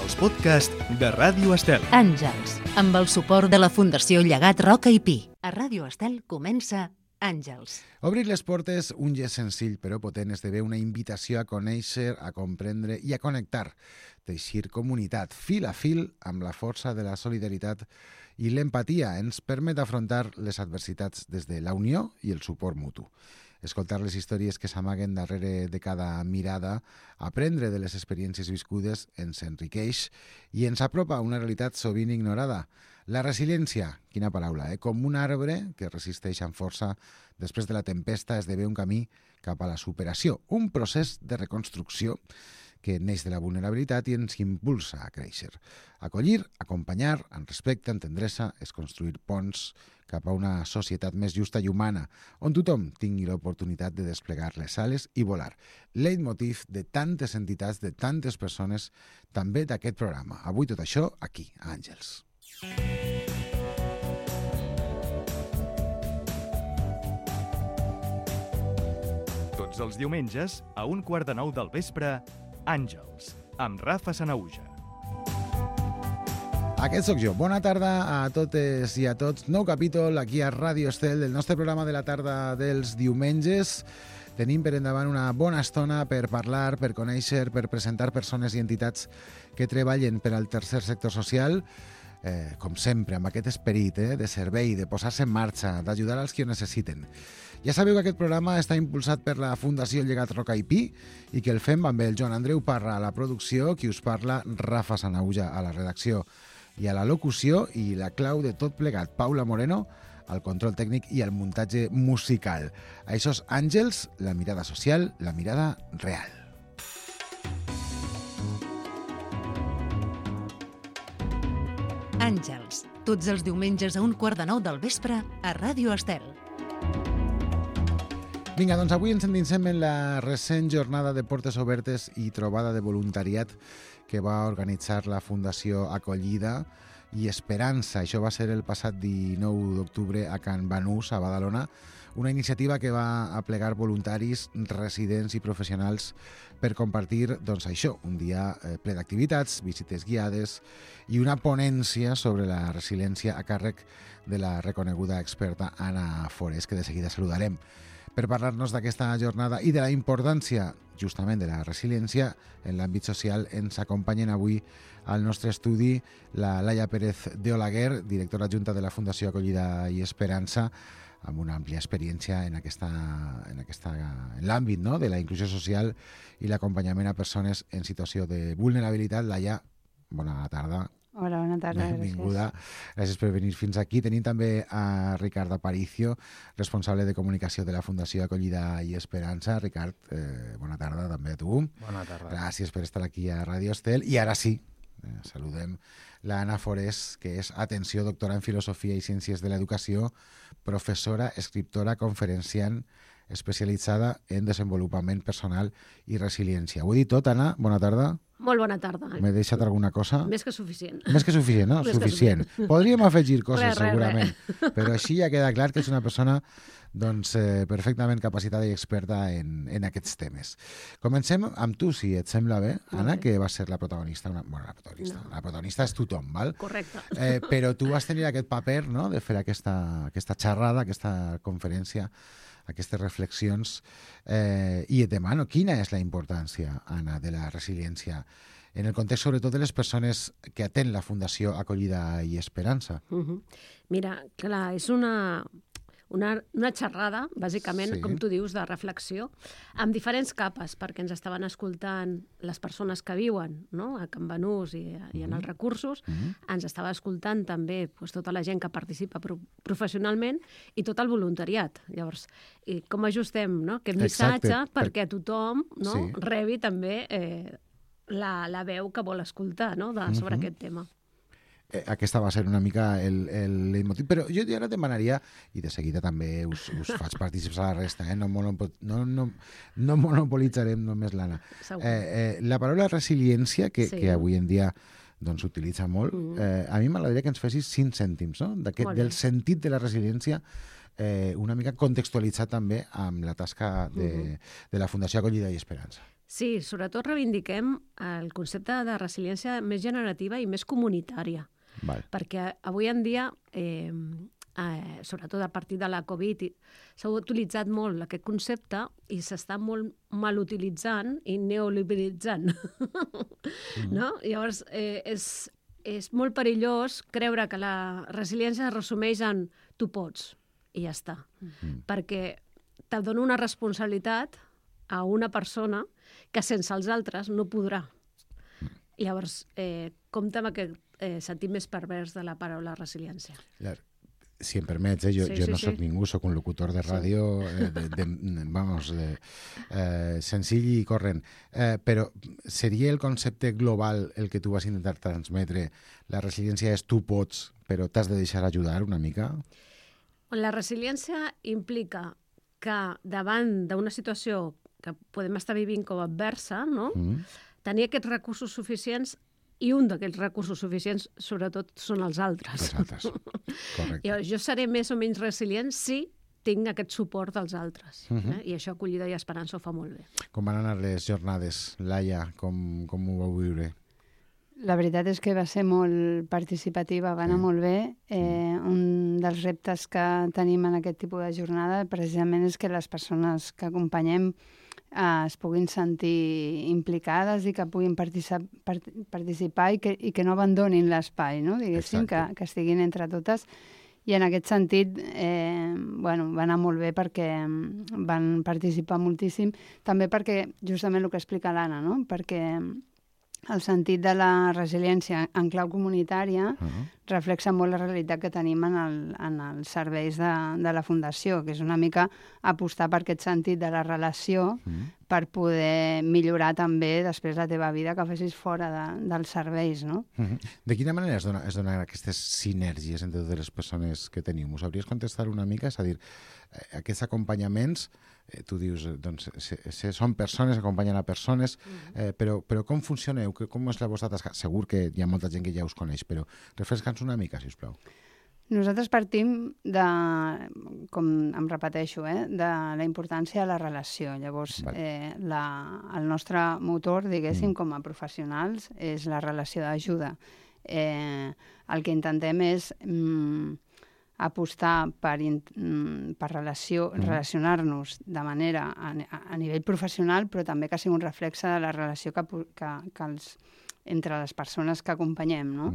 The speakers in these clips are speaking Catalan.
els podcasts de Ràdio Estel. Àngels, amb el suport de la Fundació Llegat Roca i Pi. A Ràdio Estel comença Àngels. Obrir les portes, un gest senzill però potent, esdevé una invitació a conèixer, a comprendre i a connectar. Teixir comunitat, fil a fil, amb la força de la solidaritat i l'empatia ens permet afrontar les adversitats des de la unió i el suport mutu. Escoltar les històries que s'amaguen darrere de cada mirada, aprendre de les experiències viscudes ens enriqueix i ens apropa a una realitat sovint ignorada. La resiliència, quina paraula, com un arbre que resisteix amb força després de la tempesta esdevé un camí cap a la superació, un procés de reconstrucció que neix de la vulnerabilitat i ens impulsa a créixer. Acollir, acompanyar, amb respecte, amb tendresa, és construir ponts cap a una societat més justa i humana, on tothom tingui l'oportunitat de desplegar les ales i volar. Leitmotiv de tantes entitats, de tantes persones, també d'aquest programa. Avui tot això aquí, a Àngels. Tots els diumenges, a 8:45 del vespre, Àngels, amb Rafa Sanahuja. Aquest sóc jo. Bona tarda a totes i a tots. Nou capítol aquí a Ràdio Estel del nostre programa de la tarda dels diumenges. Tenim per endavant una bona estona per parlar, per conèixer, per presentar persones i entitats que treballen per al tercer sector social, com sempre, amb aquest esperit de servei, de posar-se en marxa, d'ajudar als que ho necessiten. Ja sabeu que aquest programa està impulsat per la Fundació Llegat Roca i Pi i que el fem amb el Joan Andreu Parra a la producció, qui us parla, Rafa Sanahuja a la redacció i a la locució, i la clau de tot plegat, Paula Moreno, al control tècnic i al muntatge musical. Això és Àngels, la mirada social, la mirada real. Àngels, tots els diumenges a 8:45 del vespre a Ràdio Estel. Vinga, doncs avui ens endinsem en la recent jornada de portes obertes i trobada de voluntariat que va organitzar la Fundació Acollida i Esperança. Això va ser el passat 19 d'octubre a Can Banús, a Badalona, una iniciativa que va aplegar voluntaris, residents i professionals per compartir, doncs això, un dia ple d'activitats, visites guiades i una ponència sobre la resiliència a càrrec de la reconeguda experta Anna Forés, que de seguida saludarem. Per parlar-nos d'aquesta jornada i de la importància justament de la resiliència en l'àmbit social, ens acompanyen avui al nostre estudi la Laia Pérez de Olaguer, directora adjunta de la Fundació Acollida i Esperança, amb una àmplia experiència en l'àmbit, no?, de la inclusió social i l'acompanyament a persones en situació de vulnerabilitat. Laia, bona tarda. Hola, bona tarda. Benvinguda. Gràcies per venir fins aquí. Tenim també a Ricard Aparicio, responsable de comunicació de la Fundació Acollida i Esperança. Ricard, bona tarda també a tu. Bona tarda. Gràcies per estar aquí a Ràdio Estel. I ara sí, saludem l'Anna Forés, que és, atenció, doctora en Filosofia i Ciències de l'Educació, professora, escriptora, conferenciant, especialitzada en desenvolupament personal i resiliència. Ho he dit tot, Anna? Bona tarda. Molt bona tarda. M'he deixat alguna cosa? Més que suficient. Més que suficient, no? Suficient. Podríem afegir coses, segurament, Però així ja queda clar que és una persona doncs, perfectament capacitada i experta en aquests temes. Comencem amb tu, si et sembla bé, Anna, que va ser la protagonista. La protagonista és tothom, val? Correcte. Però tu vas tenir aquest paper, no?, de fer aquesta xerrada, aquesta conferència, aquestes reflexions, i et demano, quina és la importància, Anna, de la resiliència en el context, sobretot, de les persones que atén la Fundació Acollida i Esperança? Mira, clar, és una xerrada, bàsicament, Sí. com tu dius, de reflexió, amb diferents capes, perquè ens estaven escoltant les persones que viuen, no?, a Can Banús i en els recursos, ens estava escoltant també tota la gent que participa professionalment i tot el voluntariat. Llavors, i com ajustem, no?, aquest missatge perquè tothom, no?, Sí. rebi també la veu que vol escoltar, no?, sobre aquest tema. Aquesta va ser una mica el leitmotiv, però jo ara demanaria, i de seguida també us faig partícips a la resta, no monopolitzarem només l'Anna. La paraula resiliència, que avui en dia s'utilitza molt, a mi m'agradaria que ens fessis 5 cèntims, no?, del sentit de la resiliència, una mica contextualitzat també amb la tasca de la Fundació Acollida i Esperança. Sí, sobretot reivindiquem el concepte de resiliència més generativa i més comunitària. Val. Perquè avui en dia, sobretot a partir de la Covid, s'ha utilitzat molt aquest concepte i s'està molt mal utilitzant i neoliberalitzant. No? Llavors, és molt perillós creure que la resiliència es resumeix en tu pots i ja està. Perquè te dona una responsabilitat a una persona que sense els altres no podrà. Llavors, compta amb aquest sentit més pervers de la paraula resiliència. Si em permets, jo no soc ningú, soc un locutor de ràdio, senzill i corrent. Però seria el concepte global el que tu vas intentar transmetre? La resiliència és tu pots, però t'has de deixar ajudar una mica? La resiliència implica que davant d'una situació que podem estar vivint com a adversa, no? Tenir aquests recursos suficients, i un d'aquests recursos suficients, sobretot, són els altres. Els altres, correcte. Jo seré més o menys resilient si tinc aquest suport dels altres. I això, acollida i esperança, ho fa molt bé. Com van anar les jornades, Laia? Com ho vau viure? La veritat és que va ser molt participativa, va anar molt bé. Un dels reptes que tenim en aquest tipus de jornada precisament és que les persones que acompanyem es puguin sentir implicades i que puguin participar i que no abandonin l'espai, no? Diguéssim, que estiguin entre totes. I en aquest sentit, va anar molt bé perquè van participar moltíssim, també perquè, justament el que explica l'Anna, no? Perquè el sentit de la resiliència en clau comunitària reflexa molt la realitat que tenim en els serveis de la Fundació, que és una mica apostar per aquest sentit de la relació per poder millorar també després la teva vida que facis fora dels serveis, no? De quina manera es donen aquestes sinergies entre totes les persones que teniu? M'ho sabries contestar una mica? És a dir, aquests acompanyaments, tu dius, doncs, són persones, acompanyen a persones, però com funcioneu? Com és la vostra tasca? Segur que hi ha molta gent que ja us coneix, però refresca'ns una mica, si us plau. Nosaltres partim de, com em repeteixo, de la importància de la relació. Llavors, el nostre motor, diguéssim, com a professionals, és la relació d'ajuda. El que intentem és apostar per relacionar-nos de manera a nivell professional, però també que sigui un reflexe de la relació entre les persones que acompanyem, no?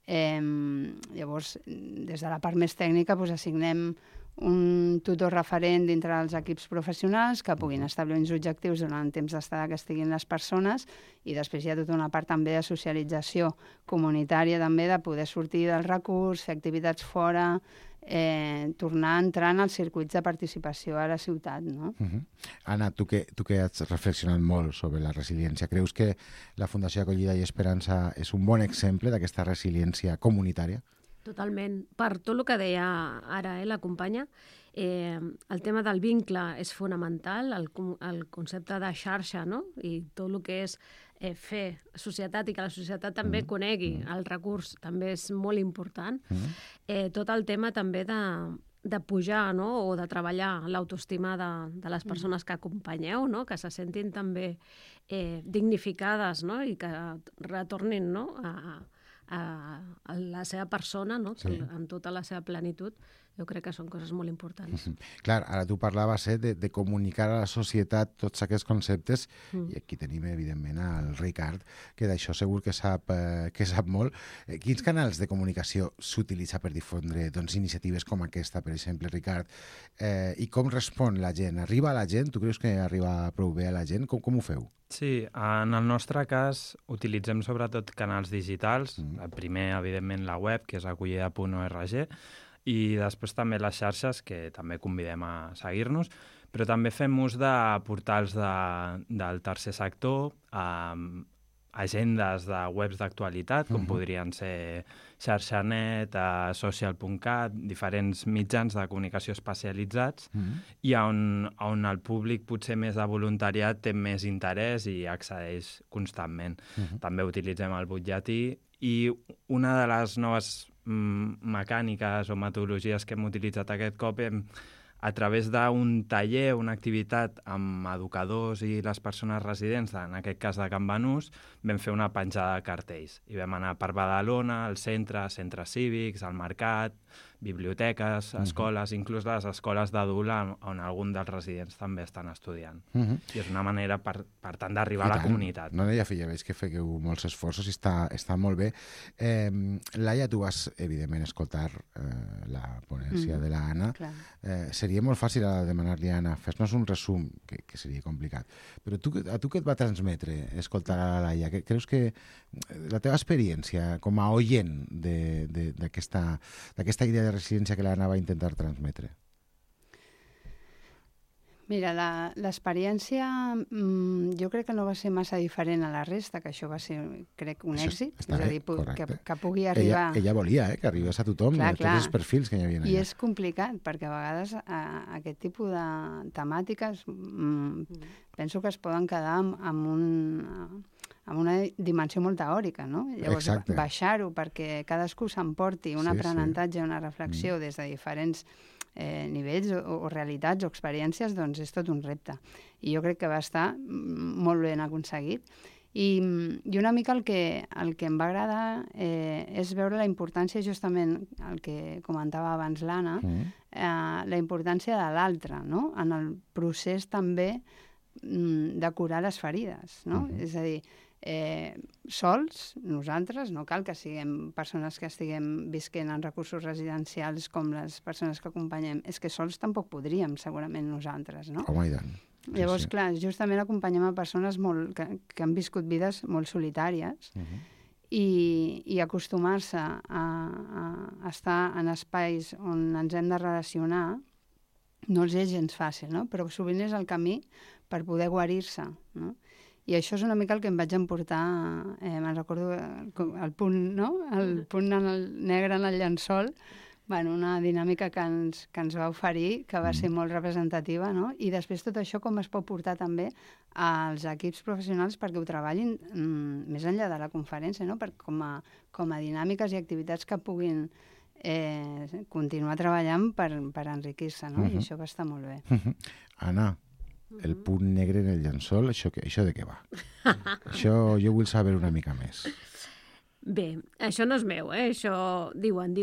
Llavors, des de la part més tècnica, assignem un tutor referent dintre dels equips professionals que puguin establir uns objectius durant el temps d'estada que estiguin les persones, i després hi ha tota una part també de socialització comunitària, també de poder sortir del recurs, fer activitats fora, tornar a entrar en els circuits de participació a la ciutat, no? Anna, tu que has reflexionat molt sobre la resiliència, creus que la Fundació Acollida i Esperança és un bon exemple d'aquesta resiliència comunitària? Totalment. Per tot el que deia ara la companya, el tema del vincle és fonamental, el concepte de xarxa, no? I tot el que és fer societat i que la societat també conegui el recurs també és molt important. Tot el tema també de pujar, no? O de treballar l'autoestima de les persones que acompanyeu, no? Que se sentin també dignificades, no? I que retornin, no? A la seva persona, no? En tota la seva plenitud. Jo crec que són coses molt importants. Clar, ara tu parlaves de comunicar a la societat tots aquests conceptes, i aquí tenim, evidentment, el Ricard, que d'això segur que sap molt. Quins canals de comunicació s'utilitza per difondre iniciatives com aquesta, per exemple, Ricard? I com respon la gent? Arriba a la gent? Tu creus que arriba prou bé a la gent? Com ho feu? Sí, en el nostre cas utilitzem sobretot canals digitals. El primer, evidentment, la web, que és acollida.org, i després també les xarxes, que també convidem a seguir-nos, però també fem ús de portals del tercer sector, agendes de webs d'actualitat, com podrien ser xarxanet, social.cat, diferents mitjans de comunicació especialitzats, i on el públic potser més de voluntariat té més interès i accedeix constantment. També utilitzem el butlletí, i una de les noves mecàniques o metodologies que hem utilitzat aquest cop a través d'un taller, una activitat amb educadors i les persones residents, en aquest cas de Can Banús, vam fer una penjada de cartells. I vam anar per Badalona, al centre, centres cívics, al mercat, biblioteques, escoles, inclús les escoles d'adult on algun dels residents també estan estudiant. I és una manera, per tant, d'arribar a la comunitat. No, ja veig que feu molts esforços i està molt bé. Laia, tu vas, evidentment, escoltar la ponència de l'Anna. Seria molt fàcil demanar-li a Anna, fes-nos un resum, que seria complicat. Però a tu què et va transmetre escoltar a la Laia? Creus que la teva experiència com a oient d'aquesta idea de residència que l'Anna va intentar transmetre? Mira, l'experiència jo crec que no va ser massa diferent a la resta, que això va ser, crec, un èxit. És a dir, que pugui arribar... Ella volia que arribés a tothom, a tots els perfils que hi havia allà. I és complicat, perquè a vegades aquest tipus de temàtiques penso que es poden quedar amb una dimensió molt teòrica, no? Llavors, baixar-ho perquè cadascú s'emporti un aprenentatge, una reflexió des de diferents nivells o realitats o experiències, doncs és tot un repte. I jo crec que va estar molt ben aconseguit. I una mica el que em va agradar és veure la importància, justament el que comentava abans l'Anna, la importància de l'altre, no? En el procés també de curar les ferides, no? És a dir, sols, nosaltres, no cal que siguem persones que estiguem visquent en recursos residencials com les persones que acompanyem, és que sols tampoc podríem, segurament, nosaltres, no? Home, i tant. Llavors, clar, justament acompanyem a persones que han viscut vides molt solitàries i acostumar-se a estar en espais on ens hem de relacionar no els és gens fàcil, no? Però sovint és el camí per poder guarir-se, no? I això és una mica el que em vaig emportar, me'n recordo el punt, no? El punt negre en el llençol, bueno, una dinàmica que ens va oferir, que va ser molt representativa, no? I després tot això com es pot portar també als equips professionals perquè ho treballin més enllà de la conferència, no? Com a dinàmiques i activitats que puguin continuar treballant per enriquir-se, no? I això va estar molt bé. Anna, el punt negre en el llençol, això de què va? Això jo vull saber una mica més. Bé, això no és meu, això diuen.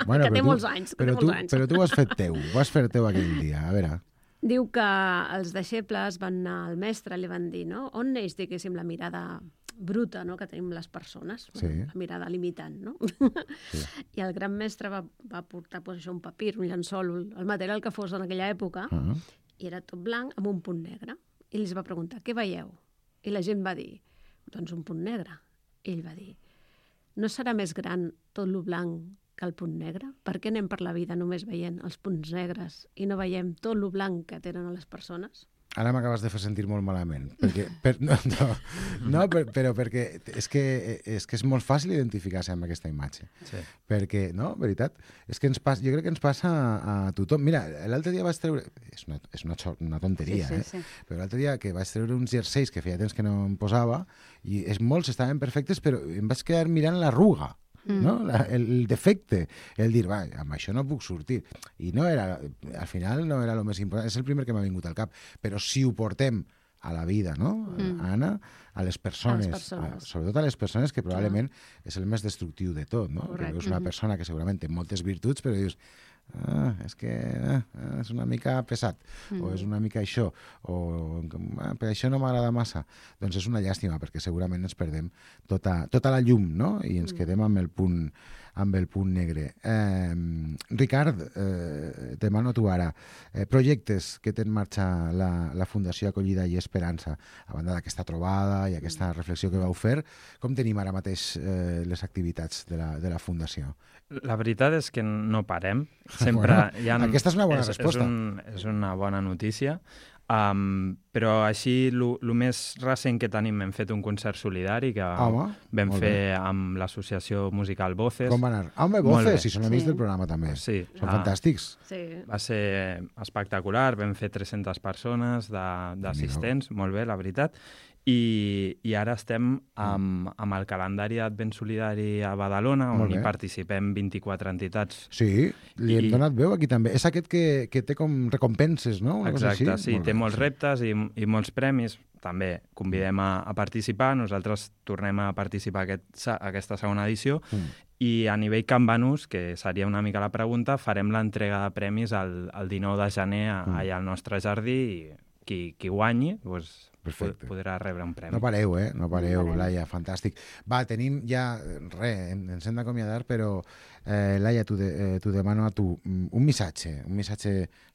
Bueno, que té molts anys. Però tu ho has fet teu aquell dia, a veure. Diu que els deixebles van anar al mestre i li van dir, no? On neix, diguéssim, la mirada bruta, no?, que tenim les persones, la mirada limitant, no? Sí. I el gran mestre va portar això, un papir, un llençol, el material que fos en aquella època, i era tot blanc amb un punt negre. I els va preguntar, què veieu? I la gent va dir, doncs un punt negre. I ell va dir, no serà més gran tot lo blanc que el punt negre? Per què anem per la vida només veient els punts negres i no veiem tot lo blanc que tenen les persones? Ara m'acabes de fer sentir molt malament, perquè, però perquè és que és molt fàcil identificar-se amb aquesta imatge. Sí. Perquè, no, veritat, és que jo crec que ens passa a tothom. Mira, l'altre dia vaig treure, és una tonteria, sí. Però l'altre dia que vaig treure uns jerseis que feia temps que no em posava, i molts estaven perfectes, però em vaig quedar mirant l'arruga. No? El defecte, el dir, va, amb això no puc sortir. I no era, al final no era el més important, és el primer que m'ha vingut al cap, però si ho portem a la vida, no, Anna? A les persones, sobretot a les persones, que probablement és el més destructiu de tot, no? Que veus una persona que segurament té moltes virtuts, però dius, és que és una mica pesat, o és una mica això, o per això no m'agrada massa. Doncs és una llàstima, perquè segurament ens perdem tota la llum, no? I ens quedem amb el punt negre. Ricard, demano tu ara, projectes que té en marxa la Fundació Acollida i Esperança, a banda d'aquesta trobada i aquesta reflexió que vau fer, com tenim ara mateix les activitats de la Fundació? La veritat és que no parem. Sempre aquesta és una bona resposta. És una bona notícia. Però així, el més recent que tenim, hem fet un concert solidari que vam fer amb l'associació musical Voces. Com va anar? Home, Voces, si són amics del programa també. Sí. Són fantàstics. Sí. Va ser espectacular, vam fer 300 persones d'assistents, molt bé, la veritat. I ara estem amb el calendari d'Advent Solidari a Badalona, on hi participem 24 entitats. Sí, li hem donat veu aquí també. És aquest que té com recompenses, no? Exacte, sí, té molts reptes i molts premis. També convidem a participar. Nosaltres tornem a participar aquesta segona edició. I a nivell Can Banús, que seria una mica la pregunta, farem l'entrega de premis el 19 de gener allà al nostre jardí i qui guanyi podrà rebre un premi. No pareu, Laia, fantàstic. Va, tenim ja... ens hem d'acomiadar, però Laia, t'ho demano a tu. Un missatge,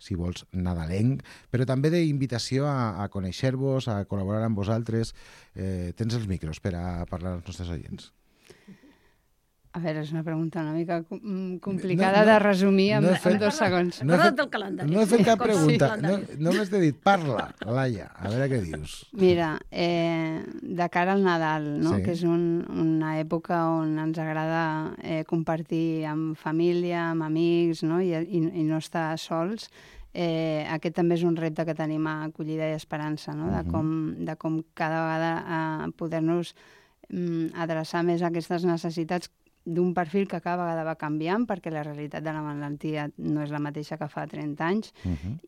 si vols, nadalenc, però també d'invitació a conèixer-vos, a col·laborar amb vosaltres. Tens els micros per a parlar als nostres oients. A veure, és una pregunta una mica complicada de resumir en 2 segons. No he fet cap pregunta. Només t'he dit, parla, Laia, a veure què dius. Mira, de cara al Nadal, no? Que és una època on ens agrada compartir amb família, amb amics, no? I no estar sols, aquest també és un repte que tenim a Acollida i Esperança, no? De com cada vegada poder-nos adreçar més a aquestes necessitats d'un perfil que cada vegada va canviant, perquè la realitat de la malaltia no és la mateixa que fa 30 anys,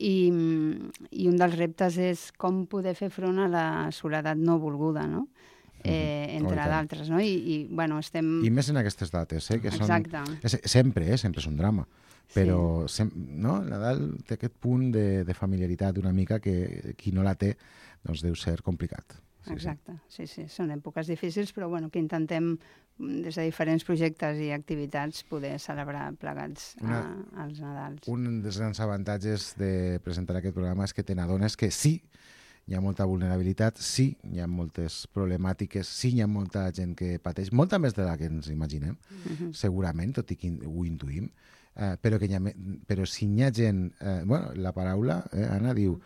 i un dels reptes és com poder fer front a la soledat no volguda, no? Entre d'altres, no? I estem... I més en aquestes dates, que són... Exacte. Sempre és un drama, però no? Nadal té aquest punt de familiaritat una mica que qui no la té doncs deu ser complicat. Exacte, sí, són èpoques difícils, però que intentem des de diferents projectes i activitats poder celebrar plegats els Nadals. Un dels grans avantatges de presentar aquest programa és que te n'adones que sí, hi ha molta vulnerabilitat, sí, hi ha moltes problemàtiques, sí, hi ha molta gent que pateix, molta més de la que ens imaginem, segurament, tot i que ho intuïm, però si hi ha gent... la paraula, Anna, diu...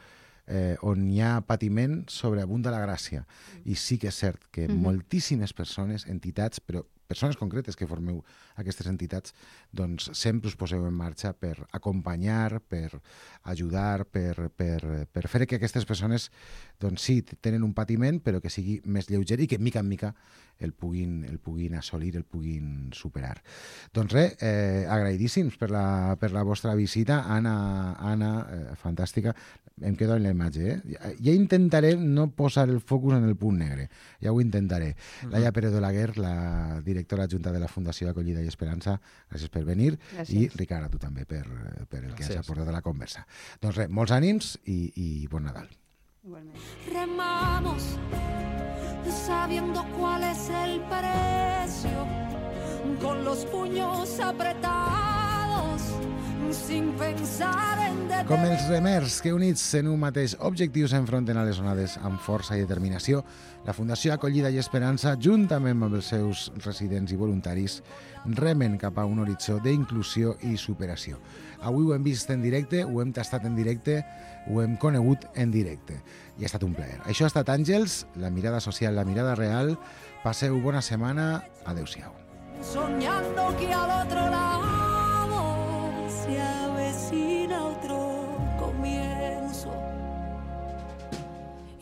on hi ha patiment sobreabunda la gràcia. I sí que és cert que moltíssimes persones, entitats, però persones concretes que formeu aquestes entitats, doncs sempre us poseu en marxa per acompanyar, per ajudar, per fer que aquestes persones, doncs sí, tenen un patiment, però que sigui més lleuger i que mica en mica el puguin assolir, el puguin superar. Doncs res, agraïdíssims per la vostra visita. Anna, fantàstica. Em quedo en la imatge, Ja intentaré no posar el focus en el punt negre. Ja ho intentaré. Laia Pérez d'Olaguer, la directora adjunta de la Fundació Acollida i Esperança, gràcies per venir. Gràcies. I Ricard, a tu també per el que has aportat a la conversa. Doncs res, molts ànims i bon Nadal. Igualment. Remamos sabiendo cuál es el precio, con los puños apretados, sin pensar en detener. Com els remers que units en un mateix objectiu s'enfronten a les onades amb força i determinació, la Fundació Acollida i Esperança, juntament amb els seus residents i voluntaris, remen cap a un horitzó d'inclusió i superació. Avui ho hem vist en directe, ho hem tastat en directe, ho hem conegut en directe. I ha estat un plaer. Això ha estat Àngels, la mirada social, la mirada real. Passeu bona setmana. Adéu-siau. Soñando que al otro lado se avecina otro comienzo.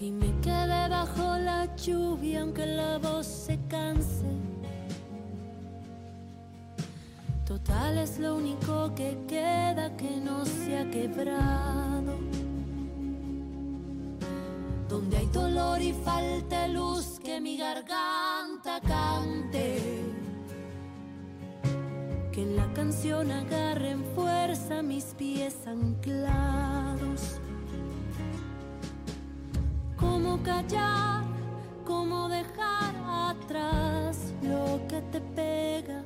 Y me quedé bajo la lluvia aunque la voz se canse. Total es lo único que queda que no se ha quebrado. Donde hay dolor y falta luz, que mi garganta cante. Que en la canción agarren fuerza mis pies anclados. Cómo callar, cómo dejar atrás lo que te pega.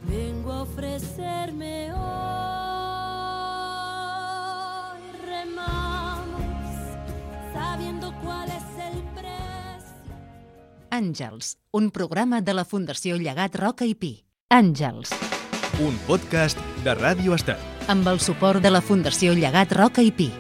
Vengo a ofrecerme hoy, remamos, sabiendo cuál es el precio. Àngels, un programa de la Fundació Llegat Roca i Pi. Àngels. Un podcast de Ràdio Estel. Amb el suport de la Fundació Llegat Roca i Pi.